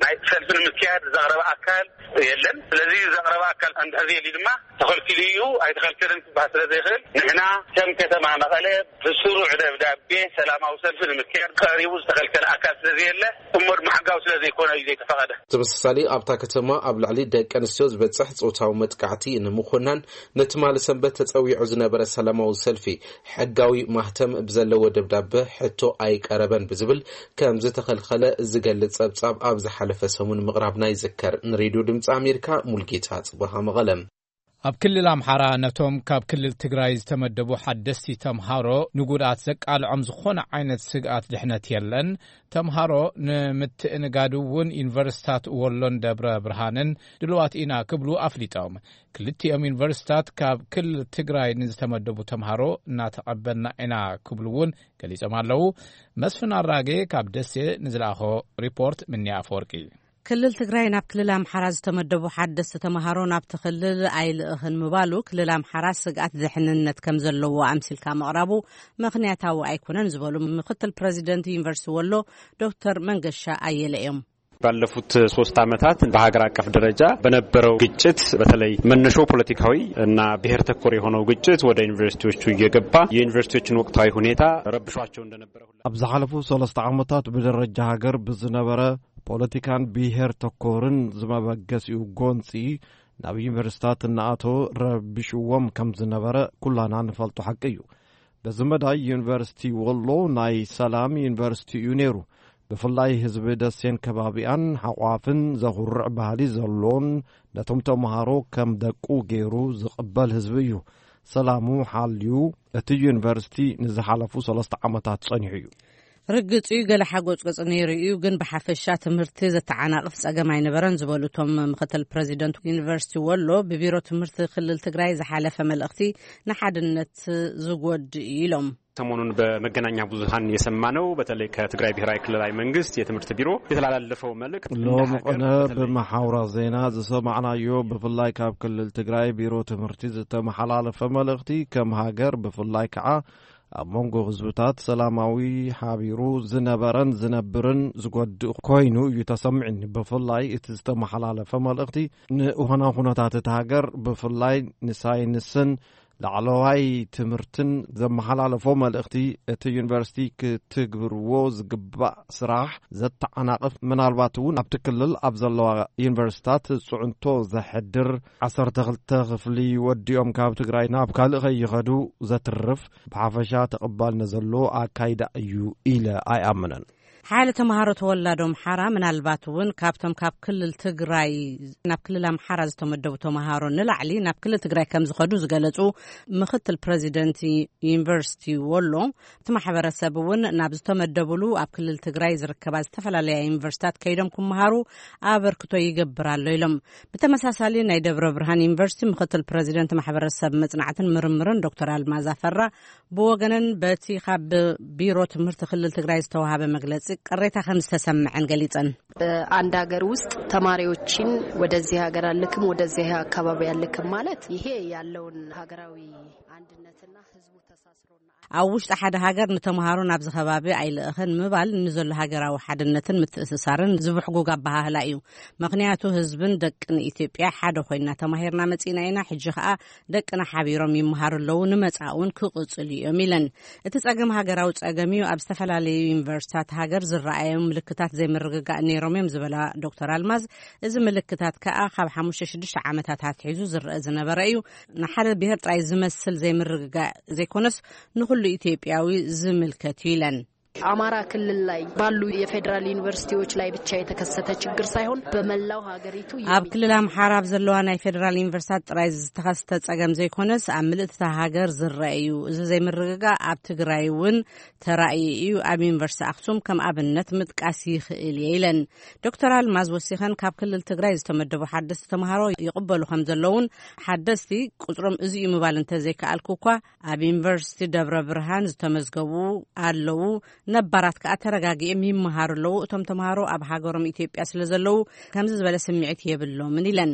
ናይ ሰልፊ ንምክያድ ዘቕረበ ኣካል የለን። ስለዚ ዘቕረበ ኣካል እንድሕር ዘየሊ ድማ ተኸልኪሉ እዩ ኣይተኸልከለን ክበሃል ስለ ዘይኽእል ንሕና ከም ከተማ መቐለ ብስሩዕ ደብዳቤ ሰላማዊ ሰልፊ ንምክያድ ቀሪቡ ዝተኸልከለ ኣካል ስለ ዘየለ እሞ ድማ ሕጋዊ ስለ ዘይኮነ እዩ ዘይተፈቐደ። ተመሳሳሊ ኣብታ ከተማ ኣብ ልዕሊ ደቂ ኣንስትዮ ዝበፅሕ ፆታዊ መጥቃዕቲ ንምኹናን ንትማሊ ሰንበት ተፀዊዑ ዝነበረ ሰላማዊ ሰልፊ ሕጋዊ ማህተም ብዘለዎ ደብዳበ ሕቶ ኣይቀረበን ብዝብል ከም ዝተኸልኸለ ዝገልፅ ፀብፃብ ኣብ ዝሓለፈ ሰሙን ምቕራብና ይዝከር። ንሬድዮ ድምፂ ኣሜሪካ ሙልጌታ ፅበሃ መቐለ። ኣብ ክልል ኣምሓራ ነቶም ካብ ክልል ትግራይ ዝተመደቡ ሓደስቲ ተምሃሮ ንጉድኣት ዘቃልዖም ዝኾነ ዓይነት ስግኣት ድሕነት የለን። ተምሃሮ ንምትእንጋድ እውን ዩኒቨርሲታት ወሎን ደብረ ብርሃንን ድልዋት ኢና ክብሉ ኣፍሊጦም። ክልቲኦም ዩኒቨርሲታት ካብ ክልል ትግራይ ንዝተመደቡ ተምሃሮ እናተቐበልና ኢና ክብሉ እውን ገሊጾም ኣለዉ። መስፍን ኣራጌ ካብ ደሴ ንዝለኣኾ ሪፖርት ምንያ ኣፈወርቂ። ክልል ትግራይ ናብ ክልል ኣምሓራ ዝተመደቡ ሓደስቲ ተምሃሮ ናብቲ ክልል ኣይልእኽን ምባሉ ክልል ኣምሓራ ስግኣት ድሕንነት ከም ዘለዎ ኣምሲልካ ምቕራቡ ምኽንያታዊ ኣይኮነን ዝበሉ ምክትል ፕሬዚደንት ዩኒቨርሲቲ ወሎ ዶክተር መንገሻ ኣየለ እዮም። ባለፉት ሶስት ዓመታት በሀገር አቀፍ ደረጃ በነበረው ግጭት በተለይ መነሾ ፖለቲካዊ እና ብሔር ተኮር የሆነው ግጭት ወደ ዩኒቨርሲቲዎቹ እየገባ የዩኒቨርሲቲዎችን ወቅታዊ ሁኔታ ረብሿቸው እንደነበረ ሁላ ኣብ ዝሓለፉ ሰለስተ ዓመታት ብደረጃ ሃገር ብዝነበረ ፖለቲካን ብሔር ተኮርን ዝመበገሲኡ ጎንፂ ናብ ዩኒቨርሲታት እናኣተወ ረቢሽዎም ከም ዝነበረ ኩላና ንፈልጦ ሓቂ እዩ። በዚ መዳይ ዩኒቨርሲቲ ወሎ ናይ ሰላም ዩኒቨርሲቲ እዩ ነይሩ። ብፍላይ ህዝቢ ደሴን ከባቢኣን ሓቋፍን ዘኹርዕ ባህሊ ዘሎን ነቶም ተምሃሮ ከም ደቁ ገይሩ ዝቕበል ህዝቢ እዩ። ሰላሙ ሓልዩ እቲ ዩኒቨርሲቲ ንዝሓለፉ ሰለስተ ዓመታት ጸኒሑ እዩ። ርግጽ እዩ፣ ገለ ሓጎጽጎጽ ነይሩ እዩ፣ ግን ብሓፈሻ ትምህርቲ ዘተዓናቕፍ ጸገም ኣይነበረን ዝበሉ እቶም ምክትል ፕረዚደንት ዩኒቨርሲቲ ወሎ፣ ብቢሮ ትምህርቲ ክልል ትግራይ ዝሓለፈ መልእኽቲ ንሓድነት ዝጎድእ እዩ ኢሎም። ሰሞኑን በመገናኛ ብዙሃን የሰማነው በተለይ ከትግራይ ብሔራዊ ክልላዊ መንግስት የትምህርት ቢሮ የተላለፈው መልእክት እንደ ሎሚ ሀገር ቅነ በተለይ ብመሓውራ ዜና ዝሰማዕናዮ ብፍላይ ካብ ክልል ትግራይ ቢሮ ትምህርቲ ዝተመሓላለፈ መልእኽቲ ከም ሃገር ብፍላይ ከዓ ኣብ መንጎ ህዝብታት ሰላማዊ ሓቢሩ ዝነበረን ዝነብርን ዝጎድእ ኮይኑ እዩ ተሰሚዕኒ። ብፍላይ እቲ ዝተመሓላለፈ መልእኽቲ ንእኾና ኩነታት እቲ ሃገር ብፍላይ ንሳይንስን ላዕለዋይ ትምህርትን ዘመሓላለፎ መልእኽቲ እቲ ዩኒቨርሲቲ ክትግብርዎ ዝግባእ ስራሕ ዘተዓናቕፍ ምናልባት እውን ኣብቲ ክልል ኣብ ዘለዋ ዩኒቨርሲታት ፅዕንቶ ዘሕድር ዓሰርተ ክልተ ክፍሊ ወዲኦም ካብ ትግራይ ናብ ካልእ ከይኸዱ ዘትርፍ ብሓፈሻ ተቐባልነት ዘለዎ ኣካይዳ እዩ ኢለ ኣይኣምንን። ሓደ ተምሃሮ ተወላዶ ኣምሓራ፣ ምናልባት እውን ካብቶም ካብ ክልል ትግራይ ናብ ክልል ኣምሓራ ዝተመደቡ ተምሃሮ ንላዕሊ ናብ ክልል ትግራይ ከም ዝኸዱ ዝገለጹ ምክትል ፕረዚደንት ዩኒቨርሲቲ ወሎ፣ እቲ ማሕበረሰብ እውን ናብ ዝተመደቡሉ ኣብ ክልል ትግራይ ዝርከባ ዝተፈላለያ ዩኒቨርሲታት ከይዶም ክመሃሩ ኣበርክቶ ይገብር ኣሎ ኢሎም። ብተመሳሳሊ፣ ናይ ደብረ ብርሃን ዩኒቨርሲቲ ምክትል ፕረዚደንት ማሕበረሰብ መጽናዕትን ምርምርን ዶክተር ኣልማዝ ኣፈራ ብወገነን፣ በቲ ካብ ቢሮ ትምህርቲ ክልል ትግራይ ዝተዋሃበ መግለጺ፣ ቅሬታ ከም ዝተሰምዐን ገሊጸን። አንድ ሀገር ውስጥ ተማሪዎችን ወደዚህ ሀገር አልክም፣ ወደዚህ አካባቢ አልክም ማለት፣ ይሄ ያለውን ሀገራዊ አንድነትና ህዝቡ ተሳስሮና ኣብ ውሽጢ ሓደ ሃገር ንተምሃሮ ናብዚ ከባቢ ኣይልእኽን ምባል ንዘሎ ሃገራዊ ሓድነትን ምትእስሳርን ዝብሕጉግ ኣበሃህላ እዩ። ምኽንያቱ፣ ህዝብን ደቅን ኢትዮጵያ ሓደ ኮይና ተማሂርና መጺና ኢና። ሕጂ ከኣ ደቅና ሓቢሮም ይመሃሩ ኣለዉ፣ ንመጻእ እውን ክቕጽሉ እዮም ኢለን። እቲ ጸገም ሃገራዊ ጸገም እዩ። ኣብ ዝተፈላለዩ ዩኒቨርሲታት ሃገር ዝረኣዮም ምልክታት ዘይምርግጋእ ነይሮም እዮም ዝበላ ዶክተር ኣልማዝ፣ እዚ ምልክታት ከኣ ካብ ሓሙሽተ ሽዱሽተ ዓመታት ኣትሒዙ ዝረአ ዝነበረ እዩ። ንሓደ ብሄር ጥራይ ዝመስል ዘይምርግጋእ ዘይኮነስ፣ ንኹሉ ኢትዮጵያዊ ዝምልከት እዩ ኢለን። አማራ ክልል ላይ ባሉ የፌዴራል ዩኒቨርሲቲዎች ላይ ብቻ የተከሰተ ችግር ሳይሆን፣ በመላው ሀገሪቱ ኣብ ክልል ኣምሓራ ኣብ ዘለዋ ናይ ፌዴራል ዩኒቨርሲታት ጥራይ ዝተኸስተ ጸገም ዘይኮነስ፣ ኣብ ምልእቲ እታ ሃገር ዝረአ እዩ። እዚ ዘይምርግጋእ ኣብ ትግራይ እውን ተራእዩ እዩ። ኣብ ዩኒቨርሲቲ ኣክሱም ከም ኣብነት ምጥቃስ ይኽእል እየ ኢለን። ዶክተር ኣልማዝ ወሲኸን፣ ካብ ክልል ትግራይ ዝተመደቡ ሓደስቲ ተምሃሮ ይቕበሉ ከም ዘለውን፣ ሓደስቲ ቁጽሮም እዚ እዩ ምባል እንተዘይከኣልኩ እኳ፣ ኣብ ዩኒቨርሲቲ ደብረ ብርሃን ዝተመዝገቡ ኣለዉ፣ ነባራት ከኣ ተረጋጊኦም ይመሃሩ ኣለዉ። እቶም ተምሃሮ ኣብ ሃገሮም ኢትዮጵያ ስለ ዘለዉ፣ ከምዚ ዝበለ ስምዒት የብሎምን ኢለን።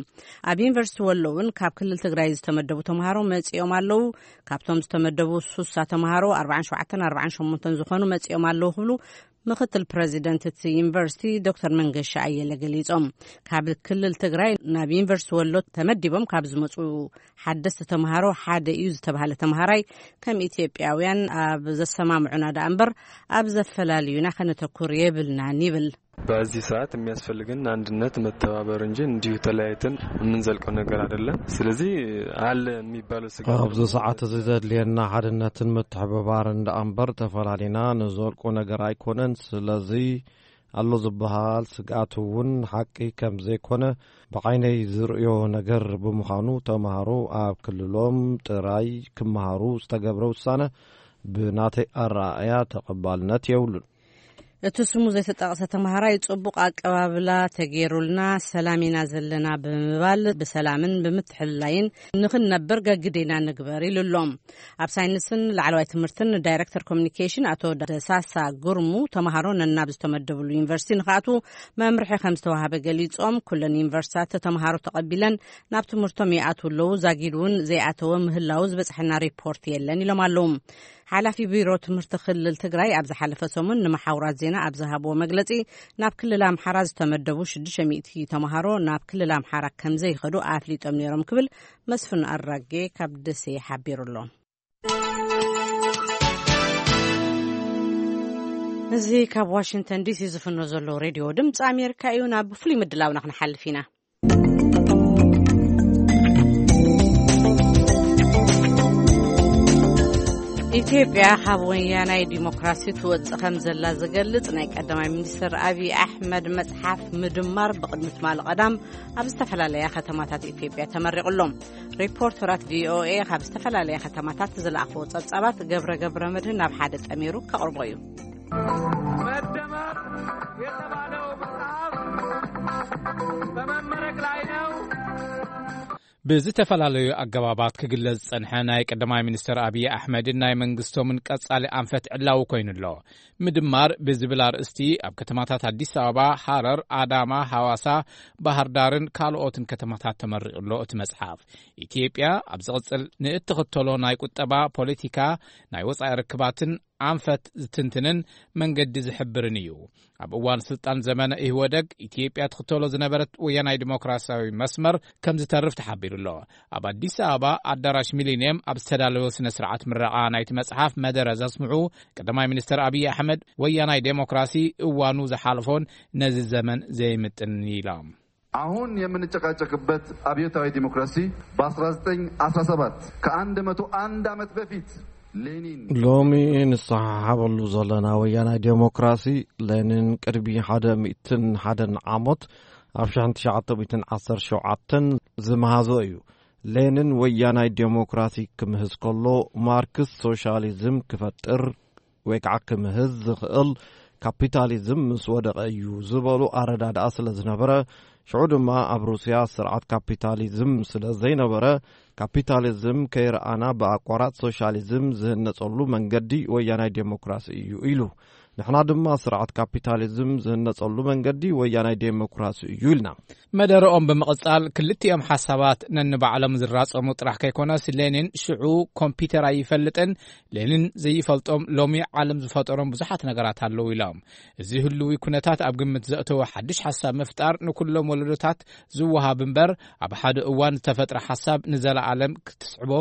ኣብ ዩኒቨርሲቲ ወሎ እውን ካብ ክልል ትግራይ ዝተመደቡ ተምሃሮ መጺኦም ኣለዉ። ካብቶም ዝተመደቡ ሱሳ ተምሃሮ፣ ኣርባዓን ሸውዓተን ኣርባዓን ሸሞንተን ዝኾኑ መጺኦም ኣለዉ ክብሉ ምክትል ፕረዚደንት እቲ ዩኒቨርሲቲ ዶክተር መንገሻ ኣየለ ገሊጾም። ካብ ክልል ትግራይ ናብ ዩኒቨርሲቲ ወሎ ተመዲቦም ካብ ዝመጹ ሓደስቲ ተምሃሮ ሓደ እዩ ዝተባህለ ተምሃራይ፣ ከም ኢትዮጵያውያን ኣብ ዘሰማምዑና ደኣ እምበር ኣብ ዘፈላልዩና ከነተኩር የብልናን ይብል። በዚህ ሰዓት የሚያስፈልገን አንድነት፣ መተባበር እንጂ እንዲሁ ተለያይተን የምንዘልቀው ነገር አይደለም። ስለዚህ አለ የሚባለው ስጋት ኣብዚ ሰዓት እዚ ዘድልየና ሓድነትን ምትሕብባርን ደኣ እምበር፣ ተፈላሊና ንዘልቆ ነገር ኣይኮነን። ስለዚ ኣሎ ዝበሃል ስግኣት እውን ሓቂ ከም ዘይኮነ ብዓይነይ ዝርእዮ ነገር ብምዃኑ፣ ተምሃሮ ኣብ ክልሎም ጥራይ ክመሃሩ ዝተገብረ ውሳነ ብናተይ ኣረኣእያ ተቐባልነት የብሉን። እቲ ስሙ ዘይተጠቕሰ ተምሃራይ፣ ጽቡቕ ኣቀባብላ ተገይሩልና፣ ሰላም ኢና ዘለና ብምባል፣ ብሰላምን ብምትሕልላይን ንኽንነብር ገግዴና ንግበር ኢሉ ኣሎ። ኣብ ሳይንስን ላዕለዋይ ትምህርትን ዳይሬክተር ኮሚኒኬሽን ኣቶ ደሳሳ ጉርሙ፣ ተምሃሮ ነናብ ዝተመደብሉ ዩኒቨርሲቲ ንኽኣትዉ መምርሒ ከም ዝተዋሃበ ገሊጾም፣ ኩለን ዩኒቨርሲታት ተምሃሮ ተቐቢለን ናብ ትምህርቶም ይኣትዉ ኣለዉ፣ ዛጊድ እውን ዘይኣተወ ምህላዉ ዝበጽሐና ሪፖርት የለን ኢሎም ኣለዉ። ሓላፊ ቢሮ ትምህርቲ ክልል ትግራይ ኣብ ዝሓለፈ ሰሙን ንመሓውራት ዜና ኣብ ዝሃብዎ መግለጺ፣ ናብ ክልል ኣምሓራ ዝተመደቡ ሽዱሽተ ሚእቲ ተምሃሮ ናብ ክልል ኣምሓራ ከም ዘይኸዱ ኣፍሊጦም ነይሮም ክብል መስፍን ኣራጌ ካብ ደሴ ሓቢሩ ኣሎ። እዚ ካብ ዋሽንግተን ዲሲ ዝፍኖ ዘሎ ሬድዮ ድምፂ ኣሜሪካ እዩ። ናብ ፍሉይ ምድላውና ክንሓልፍ ኢና። ኢትዮጵያ ካብ ወያናይ ዲሞክራሲ ትወጽእ ከም ዘላ ዝገልጽ ናይ ቀዳማይ ሚኒስትር ኣብይ ኣሕመድ መጽሓፍ ምድማር ብቕድሚ ትማሊ ቀዳም ኣብ ዝተፈላለያ ከተማታት ኢትዮጵያ ተመሪቑ ኣሎ። ሪፖርተራት ቪኦኤ ካብ ዝተፈላለያ ከተማታት ዝለኣኽዎ ጸብጻባት ገብረ ገብረ መድህን ናብ ሓደ ጠሚሩ ከቕርቦ እዩ። መደመር የተባለው መጽሐፍ በመመረቅ ላይ ነው። ብዝተፈላለዩ ኣገባባት ክግለጽ ዝጸንሐ ናይ ቀዳማይ ሚኒስትር ኣብይ ኣሕመድን ናይ መንግስቶምን ቀጻሊ ኣንፈት ዕላዊ ኮይኑ ኣሎ። ምድማር ብዝብል ኣርእስቲ ኣብ ከተማታት ኣዲስ ኣበባ፣ ሃረር፣ ኣዳማ፣ ሃዋሳ፣ ባህር ዳርን ካልኦትን ከተማታት ተመሪቑ ኣሎ። እቲ መጽሓፍ፣ ኢትዮጵያ ኣብ ዝቕጽል ንእትኽተሎ ናይ ቁጠባ ፖለቲካ፣ ናይ ወጻኢ ርክባትን ኣንፈት ዝትንትንን መንገዲ ዝሕብርን እዩ። ኣብ እዋን ስልጣን ዘመነ ኢህወደግ፣ ኢትዮጵያ ትኽተሎ ዝነበረት ወያናይ ዲሞክራሲያዊ መስመር ከም ዝተርፍ ተሓቢሩ ኣሎ። ኣብ ኣዲስ ኣበባ ኣዳራሽ ሚሊኒየም ኣብ ዝተዳለወ ስነ ስርዓት ምረቓ ናይቲ መጽሓፍ መደረ ዘስምዑ ቀዳማይ ሚኒስትር ኣብይ ኣሕመድ፣ ወያናይ ዴሞክራሲ እዋኑ ዝሓለፎን ነዚ ዘመን ዘይምጥን ኢሎም። አሁን የምንጨቃጨቅበት አብዮታዊ ዲሞክራሲ በ1917 ከ101 ዓመት በፊት ሎሚ ንሰሓሓበሉ ዘለና ወያናይ ዴሞክራሲ፣ ሌኒን ቅድሚ ሓደ ሚእትን ሓደን ዓመት ኣብ ሽሕን ትሽዓተ ሚእትን ዓሰርተ ሸውዓተን ዝመሃዞ እዩ። ሌኒን ወያናይ ዴሞክራሲ ክምህዝ ከሎ፣ ማርክስ ሶሻሊዝም ክፈጥር ወይ ከዓ ክምህዝ ዝኽእል ካፒታሊዝም ምስ ወደቐ እዩ ዝበሉ ኣረዳድኣ ስለ ዝነበረ፣ ሽዑ ድማ ኣብ ሩስያ ስርዓት ካፒታሊዝም ስለ ዘይነበረ፣ ካፒታሊዝም ከይረኣና ብኣቋራጭ ሶሻሊዝም ዝህነጸሉ መንገዲ ወያናይ ዴሞክራሲ እዩ ኢሉ። ንሕና ድማ ስርዓት ካፒታሊዝም ዝህነጸሉ መንገዲ ወያናይ ዴሞክራሲ እዩ ኢልና። መደረኦም ብምቕጻል፣ ክልቲኦም ሓሳባት ነንባዕሎም ዝራጸሙ ጥራሕ ከይኮነስ፣ ሌኒን ሽዑ ኮምፒተር ኣይፈልጥን፣ ሌኒን ዘይፈልጦም ሎሚ ዓለም ዝፈጠሮም ብዙሓት ነገራት ኣለዉ ኢሎም። እዚ ህልዊ ኩነታት ኣብ ግምት ዘእተወ ሓድሽ ሓሳብ ምፍጣር ንኩሎም ወለዶታት ዝወሃብ እምበር፣ ኣብ ሓደ እዋን ዝተፈጥረ ሓሳብ ንዘለኣለም ክትስዕቦ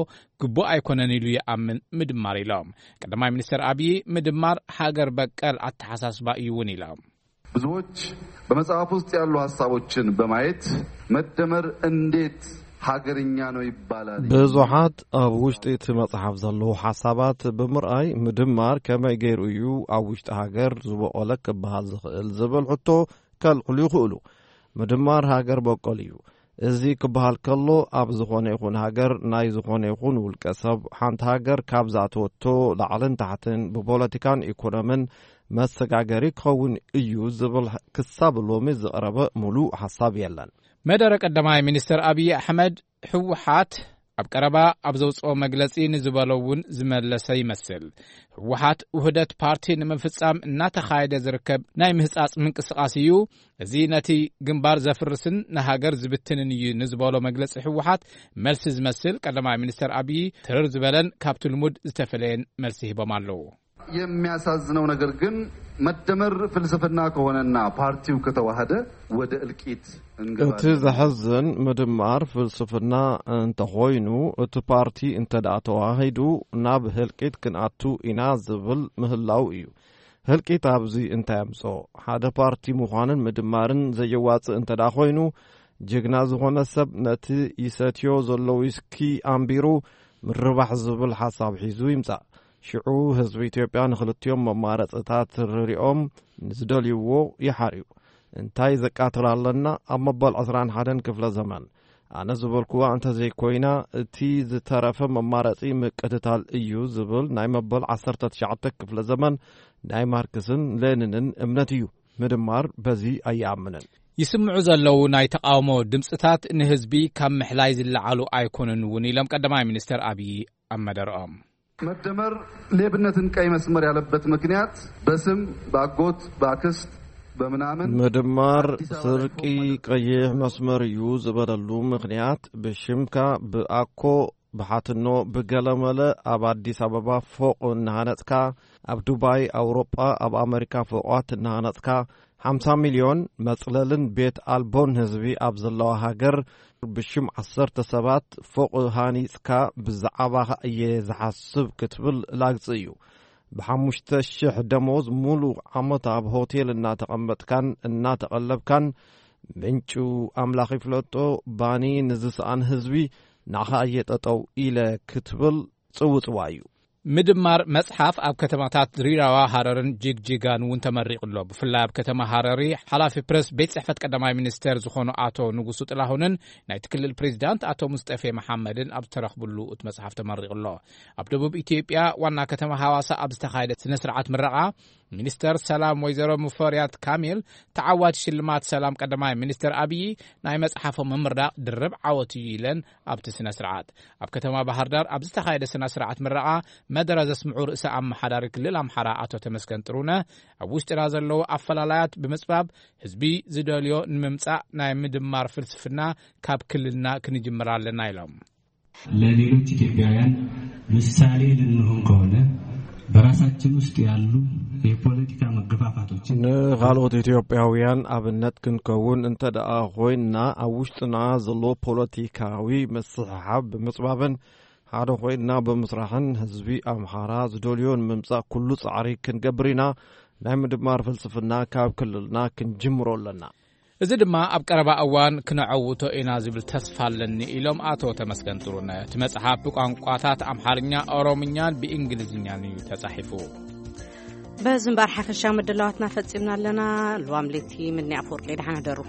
ግቡእ ኣይኮነን ኢሉ ይኣምን ምድማር ኢሎም። ቀዳማይ ሚኒስትር ኣብዪ፣ ምድማር ሃገር በቀል ኣተሓሳስባ እዩ እውን ኢሎም። ብዙዎች በመጽሐፍ ውስጥ ያሉ ሐሳቦችን በማየት መደመር እንዴት ሀገርኛ ነው ይባላል? ብዙሓት ኣብ ውሽጢ እቲ መጽሓፍ ዘለዉ ሓሳባት ብምርኣይ፣ ምድማር ከመይ ገይሩ እዩ ኣብ ውሽጢ ሃገር ዝበቖለ ክበሃል ዝኽእል ዝብል ሕቶ ከልዕሉ ይኽእሉ። ምድማር ሃገር በቆል እዩ። እዚ ክበሃል ከሎ፣ ኣብ ዝኾነ ይኹን ሃገር ናይ ዝኾነ ይኹን ውልቀ ሰብ፣ ሓንቲ ሃገር ካብ ዝኣተወቶ ላዕልን ታሕትን ብፖለቲካን ኢኮኖምን መሰጋገሪ ክኸውን እዩ ዝብል ክሳብ ሎሚ ዝቐረበ ሙሉእ ሓሳብ የለን። መደረ ቀዳማይ ሚኒስትር ኣብዪ ኣሕመድ፣ ህወሓት ኣብ ቀረባ ኣብ ዘውፅኦ መግለፂ ንዝበሎ እውን ዝመለሰ ይመስል። ህወሓት ውህደት ፓርቲ ንምፍፃም እናተኻየደ ዝርከብ ናይ ምህፃፅ ምንቅስቓስ እዩ። እዚ ነቲ ግንባር ዘፍርስን ንሃገር ዝብትንን እዩ ንዝበሎ መግለፂ ህወሓት መልሲ ዝመስል፣ ቀዳማይ ሚኒስትር ኣብዪ ትርር ዝበለን ካብቲ ልሙድ ዝተፈለየን መልሲ ሂቦም ኣለዉ። የሚያሳዝነው ነገር ግን መደመር ፍልስፍና ከሆነና ፓርቲው ከተዋህደ ወደ እልቂት እንገባለን። እቲ ዘሕዝን፣ ምድማር ፍልስፍና እንተኾይኑ፣ እቲ ፓርቲ እንተ ደኣ ተዋሂዱ ናብ ህልቂት ክንኣቱ ኢና ዝብል ምህላው እዩ። ህልቂት ኣብዚ እንታይ ኣምጽኦ? ሓደ ፓርቲ ምዃንን ምድማርን ዘየዋጽእ እንተ ደኣ ኾይኑ፣ ጅግና ዝኾነ ሰብ ነቲ ይሰትዮ ዘሎ ዊስኪ ኣንቢሩ ምርባሕ ዝብል ሓሳብ ሒዙ ይምጻእ። ሽዑ ህዝቢ ኢትዮጵያ ንኽልቲኦም መማረጽታት ርሪኦም ንዝደልይዎ ይሓርዩ። እንታይ ዘቃትል ኣለና? ኣብ መበል ዕስራን ሓደን ክፍለ ዘመን ኣነ ዝበልኩዋ እንተዘይኮይና፣ እቲ ዝተረፈ መማረጺ ምቅትታል እዩ ዝብል ናይ መበል ዓሰርተ ትሽዓተ ክፍለ ዘመን ናይ ማርክስን ሌኒንን እምነት እዩ። ምድማር በዚ ኣይኣምንን። ይስምዑ ዘለዉ ናይ ተቓውሞ ድምፅታት ንህዝቢ ካብ ምሕላይ ዝለዓሉ ኣይኮኑን እውን ኢሎም ቀዳማይ ሚኒስትር ኣብዪ ኣብ መደርኦም። መደመር ሌብነትን ቀይ መስመር ያለበት ምክንያት በስም በአጎት በአክስት በምናምን ምድማር ስርቂ ቀይሕ መስመር እዩ ዝበለሉ ምኽንያት፣ ብሽምካ ብኣኮ ብሓትኖ ብገለመለ ኣብ ኣዲስ ኣበባ ፎቕ እናሃነጽካ፣ ኣብ ዱባይ፣ ኣውሮጳ፣ ኣብ ኣመሪካ ፎቋት እናሃነጽካ፣ ሓምሳ ሚልዮን መጽለልን ቤት ኣልቦን ህዝቢ ኣብ ዘለዋ ሃገር፣ ብሽም ዓሰርተ ሰባት ፎቕ ሃኒጽካ ብዛዕባኻ እየ ዝሓስብ ክትብል ላግጺ እዩ። ብሓሙሽተ ሽሕ ደሞዝ ሙሉእ ዓመት ኣብ ሆቴል እናተቐመጥካን እናተቐለብካን፣ ምንጩ ኣምላኽ ይፍለጦ፣ ባኒ ንዝሰኣን ህዝቢ ንዓኻ እየ ጠጠው ኢለ ክትብል ጽውጽዋ እዩ። ምድማር መጽሓፍ ኣብ ከተማታት ድሪዳዋ፣ ሃረርን ጅግጅጋን እውን ተመሪቑ ኣሎ። ብፍላይ ኣብ ከተማ ሃረሪ፣ ሓላፊ ፕረስ ቤት ጽሕፈት ቀዳማይ ሚኒስቴር ዝኾኑ ኣቶ ንጉሱ ጥላሁንን ናይቲ ክልል ፕሬዚዳንት ኣቶ ሙስጠፌ መሓመድን ኣብ ዝተረኽብሉ እቲ መጽሓፍ ተመሪቑ ኣሎ። ኣብ ደቡብ ኢትዮጵያ ዋና ከተማ ሃዋሳ ኣብ ዝተኻየደ ስነ ስርዓት ምረቓ፣ ሚኒስተር ሰላም ወይዘሮ ሙፈሪያት ካሚል፣ ተዓዋቲ ሽልማት ሰላም ቀዳማይ ሚኒስተር ኣብዪ፣ ናይ መጽሓፎም ምምራቕ ድርብ ዓወት እዩ ኢለን። ኣብቲ ስነ ስርዓት ኣብ ከተማ ባህር ዳር ኣብ ዝተኻየደ ስነ ስርዓት ምረቓ መደረ ዘስምዑ ርእሰ ኣመሓዳሪ ክልል ኣምሓራ ኣቶ ተመስገን ጥሩነህ፣ ኣብ ውሽጥና ዘለዉ ኣፈላላያት ብምጽባብ ህዝቢ ዝደልዮ ንምምጻእ ናይ ምድማር ፍልስፍና ካብ ክልልና ክንጅምር ኣለና ኢሎም። ለሌሎች ኢትዮጵያውያን ምሳሌ ልንሆን ከሆነ በራሳችን ውስጥ ያሉ የፖለቲካ መገፋፋቶችን ንኻልኦት ኢትዮጵያውያን ኣብነት ክንከውን እንተ ደኣ ኮይንና፣ ኣብ ውሽጥና ዘሎ ፖለቲካዊ ምስሕሓብ ብምጽባብን ሓደ ኮይንና ብምስራሕን ህዝቢ ኣምሓራ ዝደልዮ ንምምጻእ ኩሉ ጻዕሪ ክንገብር ኢና። ናይ ምድማር ፍልስፍና ካብ ክልልና ክንጅምሮ ኣለና። እዚ ድማ ኣብ ቀረባ እዋን ክነዐውቶ ኢና ዝብል ተስፋ ኣለኒ ኢሎም ኣቶ ተመስገን ጥሩነህ። እቲ መጽሓፍ ብቋንቋታት ኣምሓርኛ፣ ኦሮምኛን ብእንግሊዝኛን እዩ ተጻሒፉ። በዚ እምበኣር ሓፈሻዊ ምድላዋትና ፈጺምና ኣለና። ልዋም ሌቲ ምድኒ ኣፈወርቂ፣ ደሓን ሕደሩ።